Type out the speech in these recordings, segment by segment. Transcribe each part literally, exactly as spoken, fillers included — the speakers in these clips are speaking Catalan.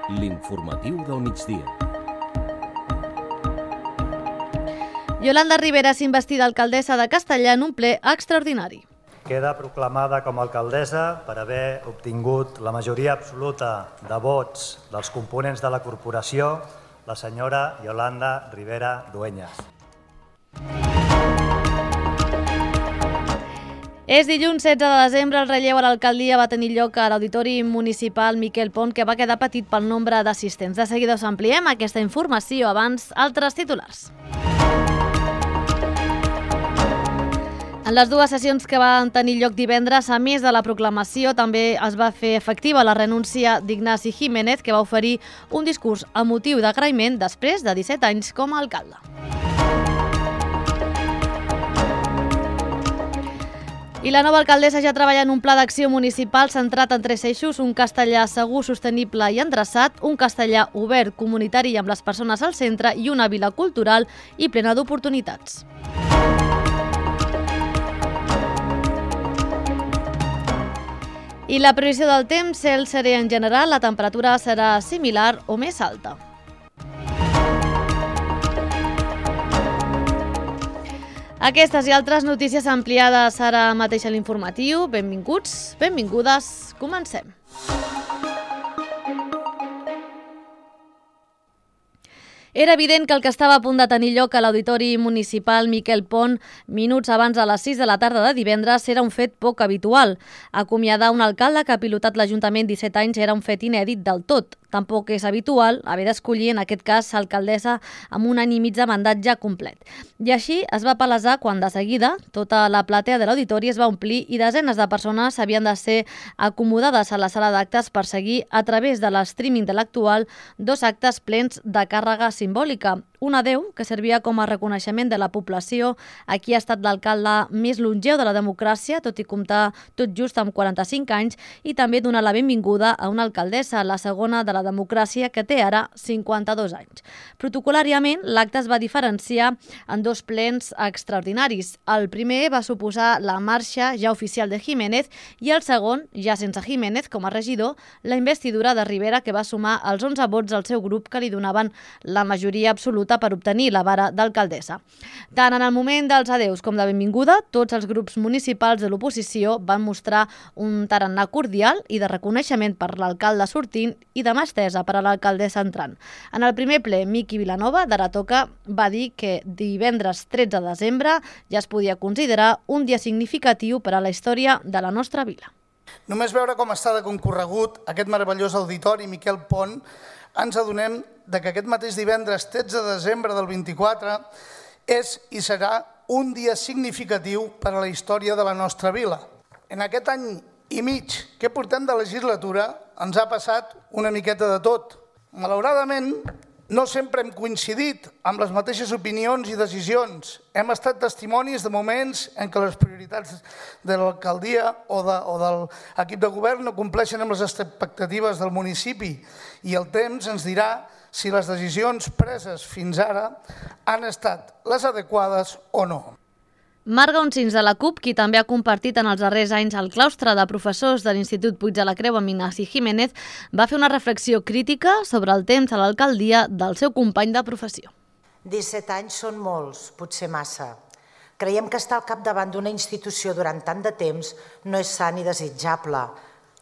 L'informatiu del migdia. Yolanda Rivera és investida alcaldessa de Castellar en un ple extraordinari. Queda proclamada com a alcaldessa per haver obtingut la majoria absoluta de vots dels components de la corporació, la senyora Yolanda Rivera Dueñas. És dilluns setze de desembre, el relleu a l'alcaldia va tenir lloc a l'Auditori Municipal Miquel Pont, que va quedar petit pel nombre d'assistents. De seguida us ampliem aquesta informació, abans altres titulars. En les dues sessions que van tenir lloc divendres, a més de la proclamació, també es va fer efectiva la renúncia d'Ignasi Jiménez, que va oferir un discurs emotiu d'agraïment després de disset anys com a alcalde. I la nova alcaldessa ja treballa en un pla d'acció municipal centrat en tres eixos: un castellà segur, sostenible i endreçat, un castellà obert, comunitari i amb les persones al centre i una vila cultural i plena d'oportunitats. I la previsió del temps, cel serè en general, la temperatura serà similar o més alta. Aquestes i altres notícies ampliades ara mateix a l'informatiu. Benvinguts, benvingudes, comencem. Era evident que el que estava a punt de tenir lloc a l'Auditori Municipal Miquel Pont minuts abans de les sis de la tarda de divendres era un fet poc habitual. Acomiadar un alcalde que ha pilotat l'Ajuntament disset anys era un fet inèdit del tot. Tampoc és habitual haver d'escollir, en aquest cas, alcaldessa amb un any i mig de mandat ja complet. I així es va palesar quan, de seguida, tota la platea de l'auditori es va omplir i desenes de persones havien de ser acomodades a la sala d'actes per seguir, a través de l'streaming de l'actual, dos actes plens de càrrega simbòlica. Un adeu que servia com a reconeixement de la població a qui ha estat l'alcalde més longeu de la democràcia, tot i comptar tot just amb quaranta-cinc anys, i també donar la benvinguda a una alcaldessa, la segona de la democràcia, que té ara cinquanta-dos anys. Protocolàriament, l'acte es va diferenciar en dos plens extraordinaris. El primer va suposar la marxa ja oficial de Jiménez i el segon, ja sense Jiménez com a regidor, la investidura de Rivera, que va sumar els onze vots al seu grup que li donaven la majoria absoluta per obtenir la vara d'alcaldessa. Tant en el moment dels adeus com de benvinguda, tots els grups municipals de l'oposició van mostrar un tarannà cordial i de reconeixement per l'alcalde sortint i de mà estesa per a l'alcaldessa entrant. En el primer ple, Miqui Vilanova, d'Ara Toca, va dir que divendres tretze de desembre ja es podia considerar un dia significatiu per a la història de la nostra vila. Només veure com està de concorregut aquest meravellós auditori Miquel Pont, ens adonem de que aquest mateix divendres tretze de desembre del vint-i-quatre és i serà un dia significatiu per a la història de la nostra vila. En aquest any i mig que portem de legislatura ens ha passat una miqueta de tot. Malauradament, no sempre hem coincidit amb les mateixes opinions i decisions. Hem estat testimonis de moments en què les prioritats de l'alcaldia o, de, o de l'equip de govern no compleixen amb les expectatives del municipi i el temps ens dirà si les decisions preses fins ara han estat les adequades o no. Marga Oncins, de la CUP, qui també ha compartit en els darrers anys el claustre de professors de l'Institut Puig de la Creu amb Ignasi Jiménez, va fer una reflexió crítica sobre el temps a l'alcaldia del seu company de professió. disset anys són molts, potser massa. Creiem que estar al capdavant d'una institució durant tant de temps no és sa ni desitjable.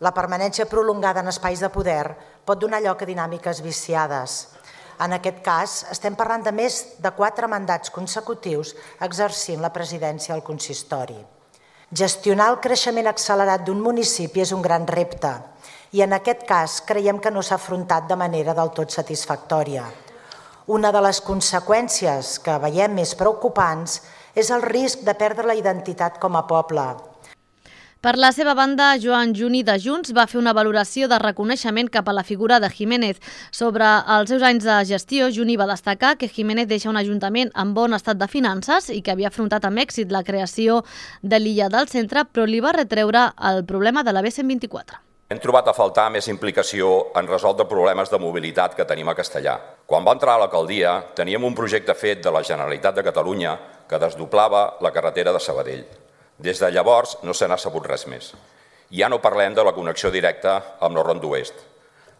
La permanència prolongada en espais de poder pot donar lloc a dinàmiques viciades. En aquest cas, estem parlant de més de quatre mandats consecutius exercint la presidència al consistori. Gestionar el creixement accelerat d'un municipi és un gran repte i en aquest cas creiem que no s'ha afrontat de manera del tot satisfactòria. Una de les conseqüències que veiem més preocupants és el risc de perdre la identitat com a poble. Per la seva banda, Joan Juni de Junts va fer una valoració de reconeixement cap a la figura de Jiménez. Sobre els seus anys de gestió, Juni va destacar que Jiménez deixa un ajuntament en bon estat de finances i que havia afrontat amb èxit la creació de l'illa del centre, però li va retreure el problema de la B cent vint-i-quatre. Hem trobat a faltar més implicació en resoldre problemes de mobilitat que tenim a Castellar. Quan va entrar a l'alcaldia, teníem un projecte fet de la Generalitat de Catalunya que desdoblava la carretera de Sabadell. Des de llavors no se n'ha sabut res més. Ja no parlem de la connexió directa amb la Ronda Oest.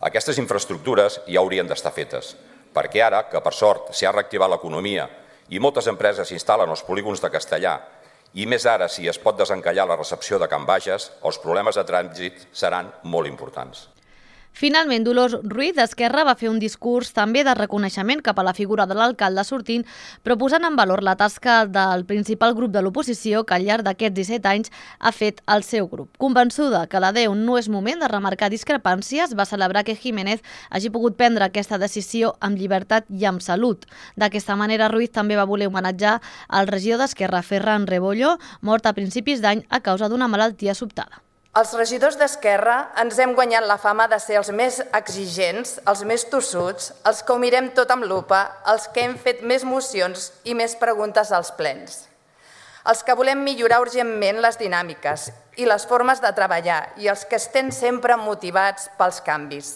Aquestes infraestructures ja haurien d'estar fetes, perquè ara, que per sort s'ha reactivat l'economia i moltes empreses s'instal·len als polígons de Castellar, i més ara si es pot desencallar la recepció de Can Bages, els problemes de trànsit seran molt importants. Finalment, Dolors Ruiz d'Esquerra va fer un discurs també de reconeixement cap a la figura de l'alcalde sortint, però posant en valor la tasca del principal grup de l'oposició que al llarg d'aquests disset anys ha fet el seu grup. Convençuda que l'adeu no és moment de remarcar discrepàncies, va celebrar que Jiménez hagi pogut prendre aquesta decisió amb llibertat i amb salut. D'aquesta manera, Ruiz també va voler homenatjar el regidor d'Esquerra, Ferran Rebollo, mort a principis d'any a causa d'una malaltia sobtada. Els regidors d'Esquerra ens hem guanyat la fama de ser els més exigents, els més tossuts, els que ho mirem tot amb lupa, els que hem fet més mocions i més preguntes als plens. Els que volem millorar urgentment les dinàmiques i les formes de treballar i els que estem sempre motivats pels canvis.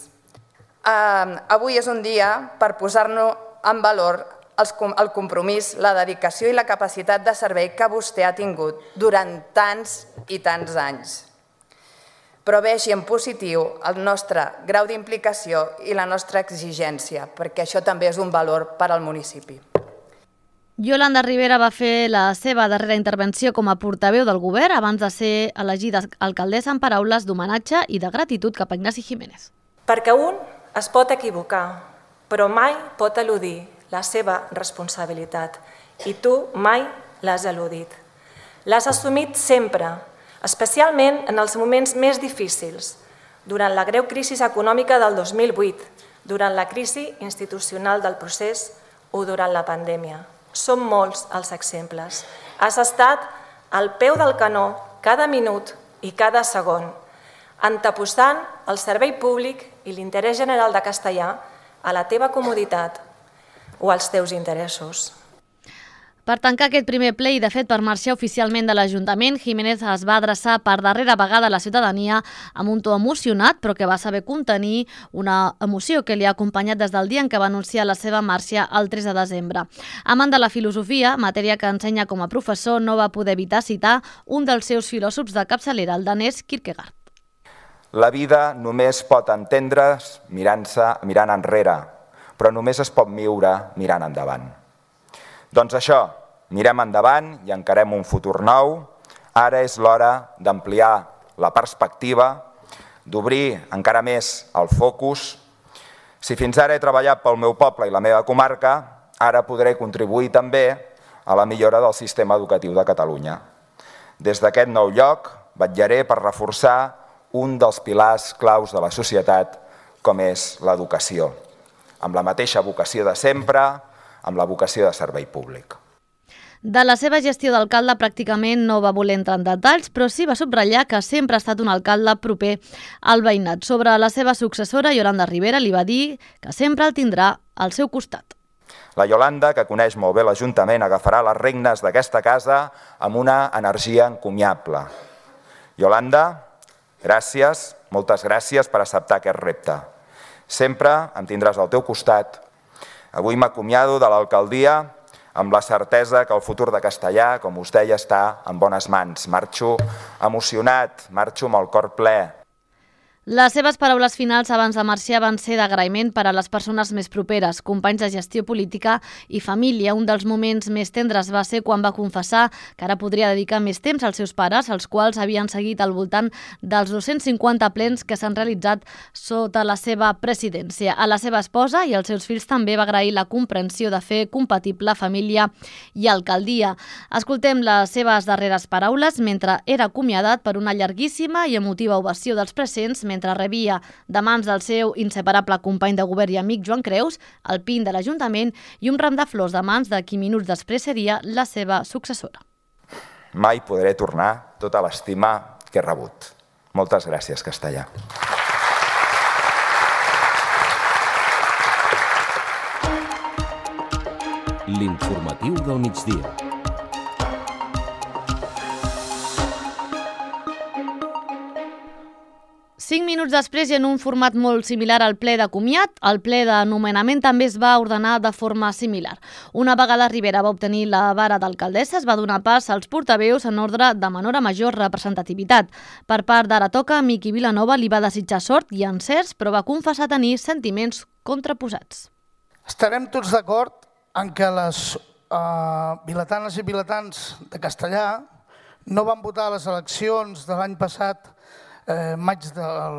Avui és un dia per posar-nos en valor el compromís, la dedicació i la capacitat de servei que vostè ha tingut durant tants i tants anys. Però vegi en positiu el nostre grau d'implicació i la nostra exigència, perquè això també és un valor per al municipi. Yolanda Rivera va fer la seva darrera intervenció com a portaveu del govern abans de ser elegida alcaldessa amb paraules d'homenatge i de gratitud cap a Ignasi Jiménez. Perquè un es pot equivocar, però mai pot eludir la seva responsabilitat i tu mai l'has eludit. L'has assumit sempre, especialment en els moments més difícils, durant la greu crisi econòmica del dos mil vuit, durant la crisi institucional del procés o durant la pandèmia. Són molts els exemples. Has estat al peu del canó cada minut i cada segon, anteposant el servei públic i l'interès general de Castellar a la teva comoditat o als teus interessos. Per tancar aquest primer ple i, de fet, per marxar oficialment de l'Ajuntament, Jiménez es va adreçar per darrera vegada a la ciutadania amb un to emocionat, però que va saber contenir una emoció que li ha acompanyat des del dia en què va anunciar la seva marxa el tres de desembre. Amant de la filosofia, matèria que ensenya com a professor, no va poder evitar citar un dels seus filòsofs de capçalera, el danès Kierkegaard. La vida només pot entendre's mirant-se, mirant enrere, però només es pot viure mirant endavant. Doncs això, mirem endavant i encarem un futur nou. Ara és l'hora d'ampliar la perspectiva, d'obrir encara més el focus. Si fins ara he treballat pel meu poble i la meva comarca, ara podré contribuir també a la millora del sistema educatiu de Catalunya. Des d'aquest nou lloc, vetllaré per reforçar un dels pilars claus de la societat, com és l'educació, amb la mateixa vocació de sempre, amb la vocació de servei públic. De la seva gestió d'alcalde pràcticament no va voler entrar en detalls, però sí va subratllar que sempre ha estat un alcalde proper al veïnat. Sobre la seva successora, Yolanda Rivera, li va dir que sempre el tindrà al seu costat. La Yolanda, que coneix molt bé l'Ajuntament, agafarà les regnes d'aquesta casa amb una energia encomiable. Yolanda, gràcies, moltes gràcies per acceptar aquest repte. Sempre em tindràs al teu costat. Avui m'acomiado de l'alcaldia amb la certesa que el futur de Castellar, com us deia, està en bones mans. Marxo emocionat, marxo amb el cor ple. Les seves paraules finals abans de marxar van ser d'agraïment per a les persones més properes, companys de gestió política i família. Un dels moments més tendres va ser quan va confessar que ara podria dedicar més temps als seus pares, els quals havien seguit al voltant dels dos-cents cinquanta plens que s'han realitzat sota la seva presidència. A la seva esposa i als seus fills també va agrair la comprensió de fer compatible família i alcaldia. Escoltem les seves darreres paraules mentre era acomiadat per una llarguíssima i emotiva ovació dels presents, mentre rebia de mans del seu inseparable company de govern i amic Joan Creus el pin de l'Ajuntament i un ram de flors de mans de qui minuts després seria la seva successora. Mai podré tornar tota l'estima que he rebut. Moltes gràcies, Castellar. L'informatiu del migdia. cinc minuts minuts després i en un format molt similar al ple de comiat, el ple de nomenament també es va ordenar de forma similar. Una vegada Rivera va obtenir la vara d'alcaldessa, es va donar pas als portaveus en ordre de menor a major representativitat. Per part d'Ara Toca, Miqui Vilanova li va desitjar sort i encerts, però va confessar tenir sentiments contraposats. Estarem tots d'acord en que les uh, vilatanes i vilatans de Castellar no van votar a les eleccions de l'any passat, eh, maig del,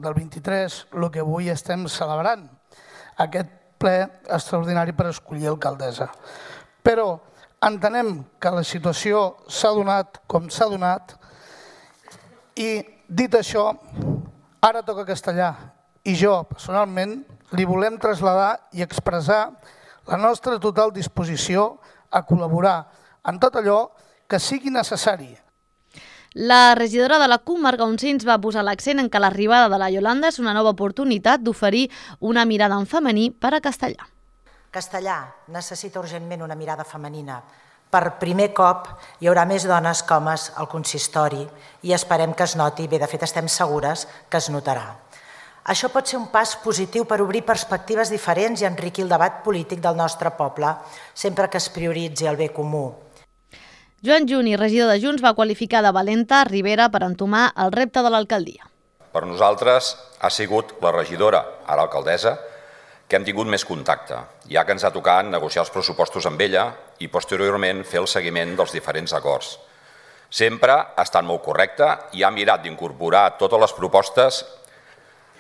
del vint-i-tres, el que avui estem celebrant, aquest ple extraordinari per escollir alcaldessa. Però entenem que la situació s'ha donat com s'ha donat i, dit això, Ara Toca Castellar i jo, personalment, li volem traslladar i expressar la nostra total disposició a col·laborar en tot allò que sigui necessari. La regidora de la C U, Marga Uncins, va posar l'accent en que l'arribada de la Iolanda és una nova oportunitat d'oferir una mirada en femení per a Castellar. Castellar necessita urgentment una mirada femenina. Per primer cop hi haurà més dones que homes al consistori i esperem que es noti, bé, de fet estem segures que es notarà. Això pot ser un pas positiu per obrir perspectives diferents i enriquir el debat polític del nostre poble, sempre que es prioritzi el bé comú. Joan Juni, regidor de Junts, va qualificar de valenta Rivera per entomar el repte de l'alcaldia. Per nosaltres ha sigut la regidora, ara alcaldessa, que hem tingut més contacte, ja que ens ha tocat negociar els pressupostos amb ella i posteriorment fer el seguiment dels diferents acords. Sempre ha estat molt correcta i ha mirat d'incorporar totes les propostes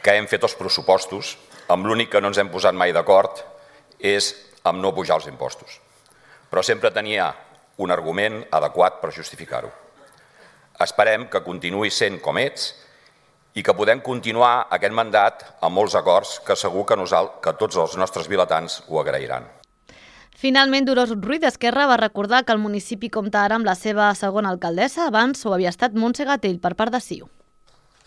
que hem fet als pressupostos, amb l'únic que no ens hem posat mai d'acord és amb no pujar els impostos. Però sempre tenia un argument adequat per justificar-ho. Esperem que continuï sent com ets i que podem continuar aquest mandat amb molts acords que segur que, nosaltres, que tots els nostres vilatans ho agrairan. Finalment, Dolors Ruiz d'Esquerra va recordar que el municipi compta ara amb la seva segona alcaldessa, abans ho havia estat Montse Gatell per part de C I U.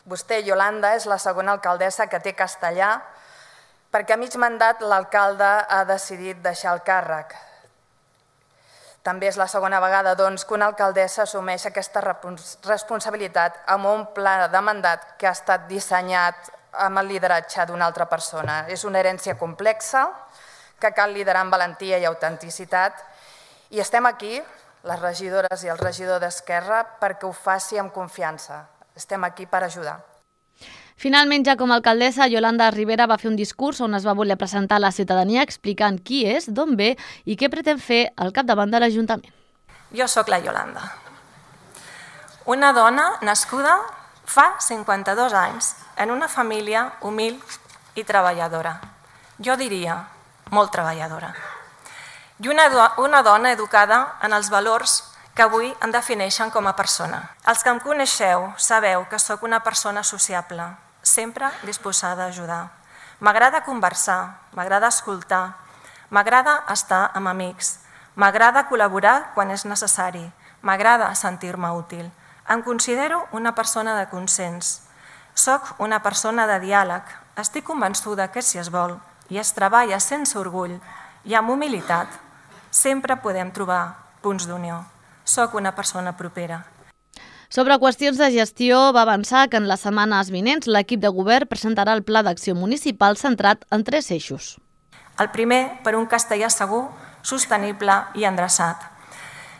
Vostè, Iolanda, és la segona alcaldessa que té Castellar perquè a mig mandat l'alcalde ha decidit deixar el càrrec. També és la segona vegada doncs, que una alcaldessa assumeix aquesta responsabilitat amb un pla de mandat que ha estat dissenyat amb el lideratge d'una altra persona. És una herència complexa que cal liderar amb valentia i autenticitat i estem aquí, les regidores i el regidor d'Esquerra, perquè ho faci amb confiança. Estem aquí per ajudar. Finalment, ja com a alcaldessa, Iolanda Rivera va fer un discurs on es va voler presentar a la ciutadania explicant qui és, d'on ve i què pretén fer al capdavant de l'Ajuntament. Jo sóc la Iolanda, una dona nascuda fa cinquanta-dos anys en una família humil i treballadora. Jo diria molt treballadora. I una, do una dona educada en els valors que avui em defineixen com a persona. Els que em coneixeu sabeu que sóc una persona sociable, sempre disposada a ajudar. M'agrada conversar, m'agrada escoltar, m'agrada estar amb amics, m'agrada col·laborar quan és necessari, m'agrada sentir-me útil. Em considero una persona de consens. Soc una persona de diàleg. Estic convençuda que si es vol i es treballa sense orgull i amb humilitat, sempre podem trobar punts d'unió. Soc una persona propera. Sobre qüestions de gestió, va avançar que en les setmanes vinents l'equip de govern presentarà el Pla d'Acció Municipal centrat en tres eixos. El primer, per un Castellar segur, sostenible i endreçat.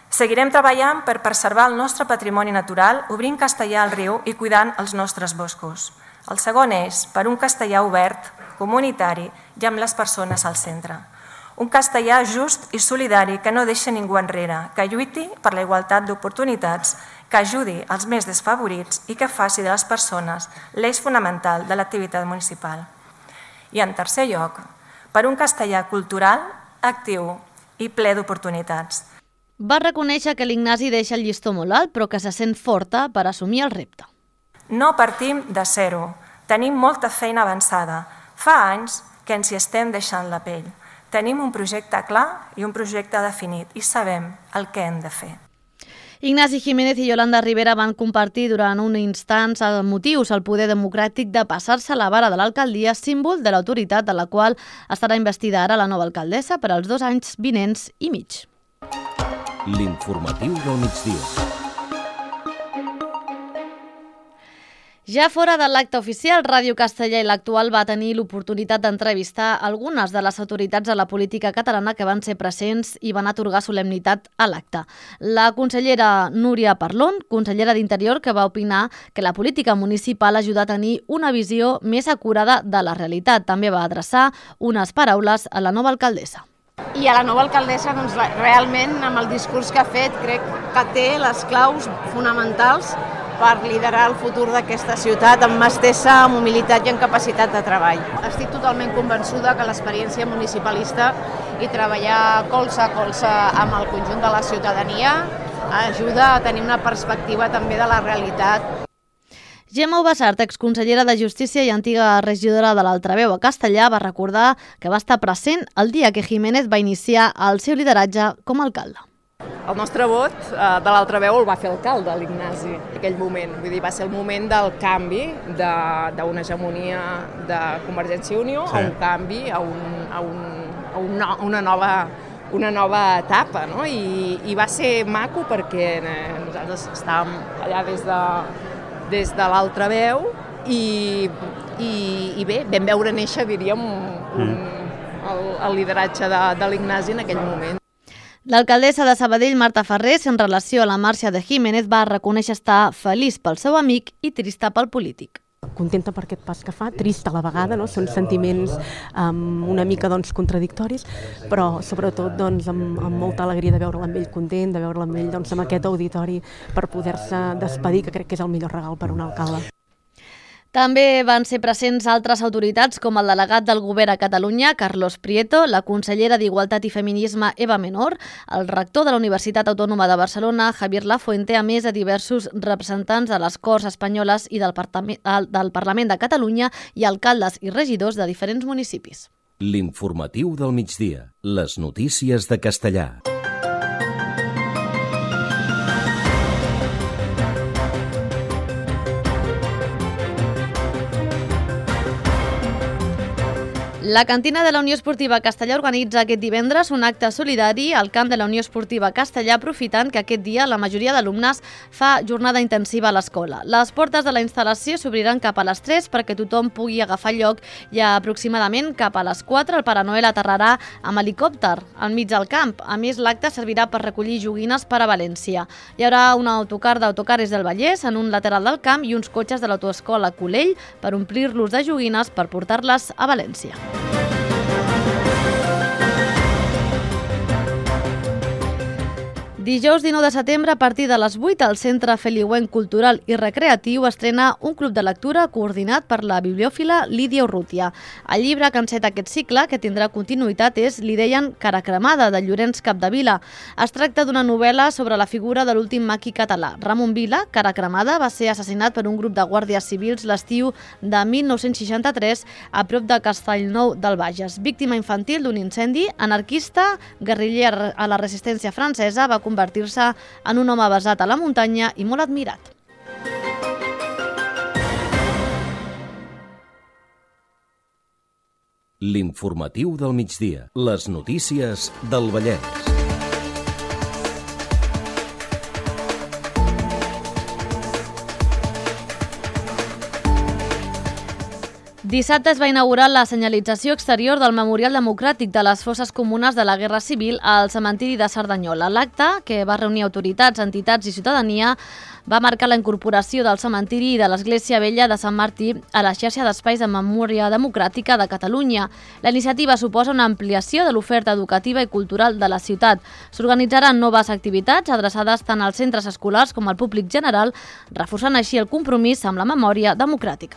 Seguirem treballant per preservar el nostre patrimoni natural, obrint Castellar al riu i cuidant els nostres boscos. El segon és per un Castellar obert, comunitari i amb les persones al centre. Un Castellar just i solidari que no deixa ningú enrere, que lluiti per la igualtat d'oportunitats, que ajudi els més desfavorits i que faci de les persones l'eix fonamental de l'activitat municipal. I en tercer lloc, per un Castellar cultural, actiu i ple d'oportunitats. Va reconèixer que l'Ignasi deixa el llistó molt alt, però que se sent forta per assumir el repte. No partim de zero. Tenim molta feina avançada. Fa anys que ens hi estem deixant la pell. Tenim un projecte clar i un projecte definit i sabem el que hem de fer. Ignasi Jiménez i Iolanda Rivera van compartir durant un instant motius al poder democràtic de passar-se la vara de l'alcaldia, símbol de l'autoritat de la qual estarà investida ara la nova alcaldessa per als dos anys vinents i mig. L'informatiu del migdia. Ja fora de l'acte oficial, Ràdio Castellà i l'Actual va tenir l'oportunitat d'entrevistar algunes de les autoritats de la política catalana que van ser presents i van atorgar solemnitat a l'acte. La consellera Núria Parlon, consellera d'Interior, que va opinar que la política municipal ajuda a tenir una visió més acurada de la realitat. També va adreçar unes paraules a la nova alcaldessa. I a la nova alcaldessa, doncs, realment, amb el discurs que ha fet, crec que té les claus fonamentals per liderar el futur d'aquesta ciutat amb mà estesa, amb humilitat i amb capacitat de treball. Estic totalment convençuda que l'experiència municipalista i treballar colze a colze amb el conjunt de la ciutadania ajuda a tenir una perspectiva també de la realitat. Gemma Ubasart, exconsellera de Justícia i antiga regidora de l'Altraveu a Castellà, va recordar que va estar present el dia que Jiménez va iniciar el seu lideratge com a alcalde. El nostre vot de l'Altraveu el va fer alcalde, l'Ignasi, en aquell moment. Vull dir, va ser el moment del canvi d'una hegemonia de Convergència i Unió sí. a un canvi, a, un, a, un, a una, una, nova, una nova etapa. No? I, I va ser maco perquè nosaltres estàvem allà des de, des de l'Altraveu i, i, i bé, vam veure néixer, diríem, un, el, el lideratge de, de l'Ignasi en aquell moment. L'alcaldessa de Sabadell, Marta Ferrés, en relació a la marxa de Jiménez, va reconèixer estar feliç pel seu amic i trista pel polític. Contenta per aquest pas que fa, trista a la vegada, no? Són sentiments um, una mica doncs, contradictoris, però sobretot doncs, amb, amb molta alegria de veure'l amb ell content, de veure'l amb ell doncs, amb aquest auditori per poder-se despedir, que crec que és el millor regal per un alcalde. També van ser presents altres autoritats com el delegat del Govern a Catalunya, Carlos Prieto, la consellera d'Igualtat i Feminisme, Eva Menor, el rector de la Universitat Autònoma de Barcelona, Javier Lafuente, a més de diversos representants de les Corts Espanyoles i del Parlament, del Parlament de Catalunya i alcaldes i regidors de diferents municipis. L'informatiu del migdia. Les notícies de Castellà. La cantina de la Unió Esportiva Castellà organitza aquest divendres un acte solidari al camp de la Unió Esportiva Castellà, aprofitant que aquest dia la majoria d'alumnes fa jornada intensiva a l'escola. Les portes de la instal·lació s'obriran cap a les tres perquè tothom pugui agafar lloc i aproximadament cap a les quatre el Pare Noel aterrarà amb helicòpter al mig del camp. A més, l'acte servirà per recollir joguines per a València. Hi haurà un autocar d'Autocares del Vallès en un lateral del camp i uns cotxes de l'autoescola Colell per omplir-los de joguines per portar-les a València. Dijous dinou de setembre, a partir de les vuit, el Centre Feliuenc Cultural i Recreatiu estrena un club de lectura coordinat per la bibliòfila Lídia Urrutia. El llibre que enceta aquest cicle, que tindrà continuïtat, és Li deien Cara cremada, de Llorenç Capdevila. Es tracta d'una novel·la sobre la figura de l'últim maqui català. Ramon Vila, Cara cremada, va ser assassinat per un grup de guàrdies civils l'estiu de mil nou-cents seixanta-tres a prop de Castellnou del Bages. Víctima infantil d'un incendi, anarquista, guerriller a la resistència francesa, va convertir-se en un home basat a la muntanya i molt admirat. L'informatiu del migdia. Les notícies del Vallès. Dissabte es va inaugurar la senyalització exterior del Memorial Democràtic de les Fosses Comunes de la Guerra Civil al cementiri de Cerdanyola. L'acte, que va reunir autoritats, entitats i ciutadania, va marcar la incorporació del cementiri i de l'Església Vella de Sant Martí a la xarxa d'espais de memòria democràtica de Catalunya. La iniciativa suposa una ampliació de l'oferta educativa i cultural de la ciutat. S'organitzaran noves activitats adreçades tant als centres escolars com al públic general, reforçant així el compromís amb la memòria democràtica.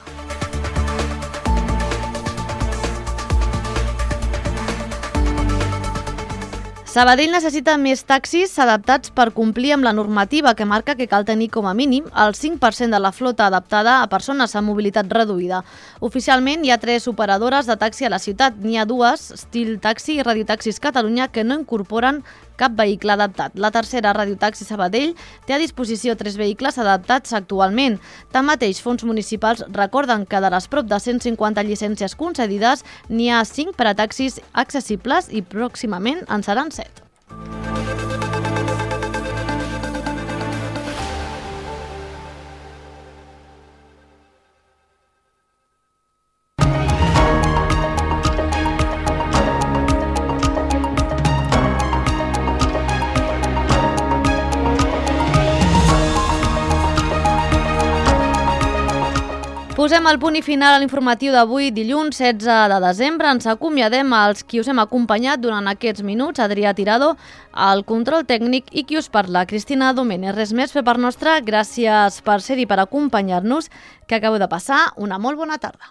Sabadell necessita més taxis adaptats per complir amb la normativa que marca que cal tenir com a mínim el cinc per cent de la flota adaptada a persones amb mobilitat reduïda. Oficialment hi ha tres operadores de taxi a la ciutat. N'hi ha dues, Estil Taxi i Radiotaxis Catalunya, que no incorporen cap vehicle adaptat. La tercera, Radiotaxi Sabadell, té a disposició tres vehicles adaptats actualment. Tanmateix, fons municipals recorden que de les prop de cent cinquanta llicències concedides, n'hi ha cinc per a taxis accessibles i pròximament en seran set. Posem el punt i final a l'informatiu d'avui, dilluns setze de desembre. Ens acomiadem als qui us hem acompanyat durant aquests minuts, Adrià Tirado, al control tècnic, i qui us parla, Cristina Domènech. Res més fer per nostra, gràcies per ser-hi, per acompanyar-nos, que acabeu de passar una molt bona tarda.